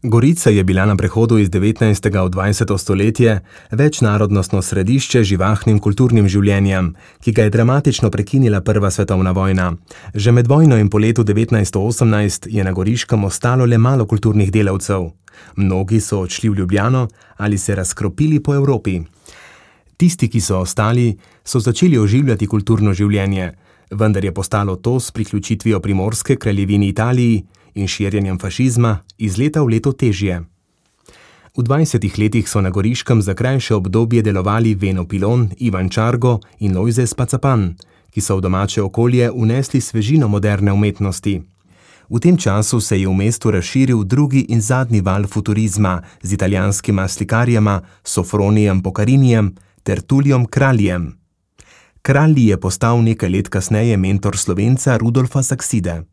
Gorica je bila na prehodu iz 19. v 20. stoletje večnarodnostno središče z živahnim kulturnim življenjem, ki ga je dramatično prekinila Prva svetovna vojna. Že med vojno in po letu 1918 je na Goriškem ostalo le malo kulturnih delavcev. Mnogi so odšli v Ljubljano ali se razkropili po Evropi. Tisti, ki so ostali, so začeli oživljati kulturno življenje, vendar je postalo to s priključitvijo Primorske kraljevini Italiji in širjenjem fašizma iz leta v leto težje. V 20 letih so na Goriškem za krajše obdobje delovali Veno Pilon, Ivan Čargo in Lojze Spacapan, ki so v domače okolje vnesli svežino moderne umetnosti. V tem času se je v mestu razširil drugi in zadnji val futurizma z italijanskima slikarjema Sofronijem Pocarinijem ter Tullijem Kraljem. Kralji je postal nekaj let kasneje mentor Slovenca Rudolfa Sakside.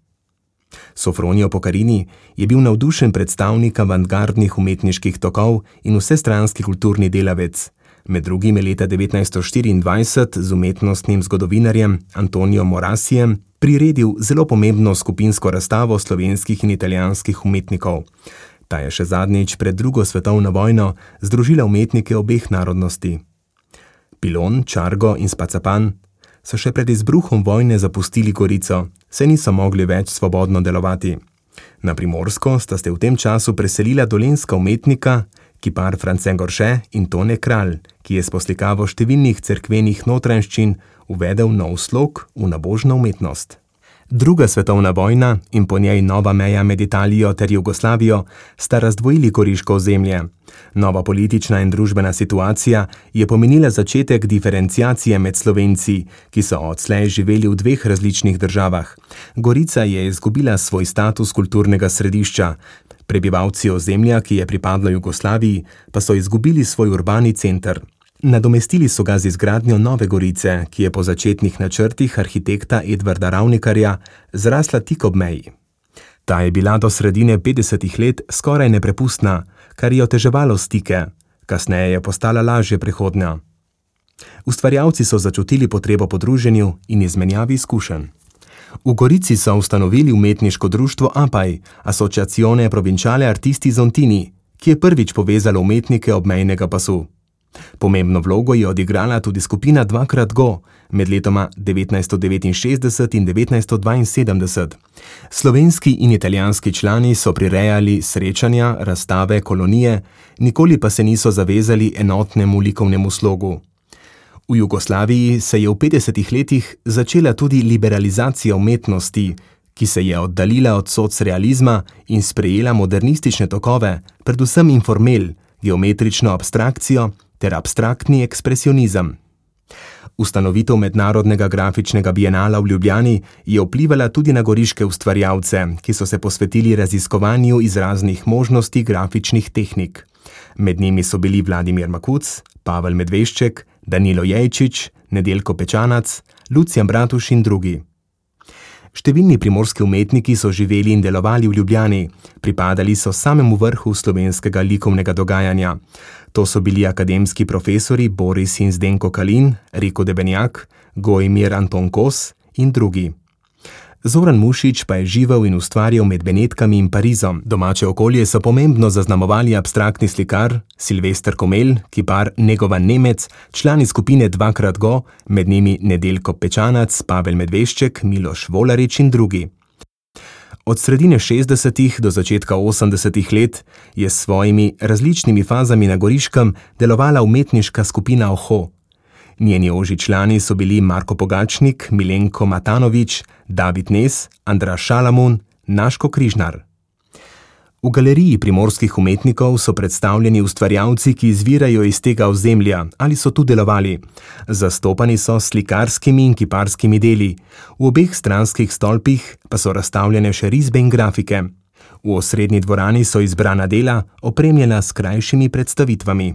Sofronijo Pocarini je bil navdušen predstavnik avantgardnih umetniških tokov in vsestranski kulturni delavec. Med drugim je leta 1924 z umetnostnim zgodovinarjem Antonijem Morasijem priredil zelo pomembno skupinsko razstavo slovenskih in italijanskih umetnikov. Ta je še zadnjič pred drugo svetovno vojno združila umetnike obeh narodnosti. Pilon, Čargo in Spacapan so še pred izbruhom vojne zapustili Gorico, saj niso mogli več svobodno delovati. Na Primorsko sta se v tem času preselila dolenjska umetnika, kipar France Gorše in Tone Kralj, ki je s poslikavo številnih cerkvenih notranjščin uvedel nov slog v nabožno umetnost. Druga svetovna vojna in po njej nova meja med Italijo ter Jugoslavijo sta razdvojili goriško ozemlje. Nova politična in družbena situacija je pomenila začetek diferenciacije med Slovenci, ki so odslej živeli v dveh različnih državah. Gorica je izgubila svoj status kulturnega središča. Prebivalci ozemlja, ki je pripadlo Jugoslaviji, pa so izgubili svoj urbani center. Nadomestili so ga z izgradnjo Nove Gorice, ki je po začetnih načrtih arhitekta Edvarda Ravnikarja zrasla tik ob meji. Ta je bila do sredine 50 let skoraj neprepustna, kar je oteževalo stike, kasneje je postala lažje prehodna. Ustvarjalci so začutili potrebo po druženju in izmenjavi izkušenj. V Gorici so ustanovili umetniško društvo APAJ, Associazione Provinciale Artisti Zontini, ki je prvič povezalo umetnike obmejnega pasu. Pomembno vlogo je odigrala tudi skupina 2xGo med letoma 1969 in 1972. Slovenski in italijanski člani so prirejali srečanja, razstave, kolonije, nikoli pa se niso zavezali enotnemu likovnemu slogu. V Jugoslaviji se je v 50 letih začela tudi liberalizacija umetnosti, ki se je oddaljila od socrealizma in sprejela modernistične tokove, predvsem informel, geometrično abstrakcijo ter abstraktni ekspresionizem. Ustanovitev Mednarodnega grafičnega bienala v Ljubljani je vplivala tudi na goriške ustvarjalce, ki so se posvetili raziskovanju izraznih možnosti grafičnih tehnik. Med njimi so bili Vladimir Makuc, Pavel Medvešček, Danilo Jejčič, Nedeljko Pečanac, Lucijan Bratuš in drugi. Številni primorski umetniki so živeli in delovali v Ljubljani, pripadali so samemu vrhu slovenskega likovnega dogajanja. To so bili akademski profesori Boris in Zdenko Kalin, Riko Debenjak, Gojmir Anton Kos in drugi. Zoran Mušič pa je živel in ustvarjal med Benetkami in Parizom. Domače okolje so pomembno zaznamovali abstraktni slikar Silvester Komel, kipar Negovan Nemec, člani skupine 2xGo, med njimi Nedeljko Pečanac, Pavel Medvešček, Miloš Volarič in drugi. Od sredine 60. do začetka 80. let je s svojimi različnimi fazami na Goriškem delovala umetniška skupina Oho. Njeni ožji člani so bili Marko Pogačnik, Milenko Matanovič, David Nes, Andraž Šalamun, Naško Križnar. V galeriji primorskih umetnikov so predstavljeni ustvarjalci, ki izvirajo iz tega ozemlja ali so tu delovali. Zastopani so s slikarskimi in kiparskimi deli. V obeh stranskih stolpih pa so razstavljene še risbe in grafike. V osrednji dvorani so izbrana dela, opremljena s krajšimi predstavitvami.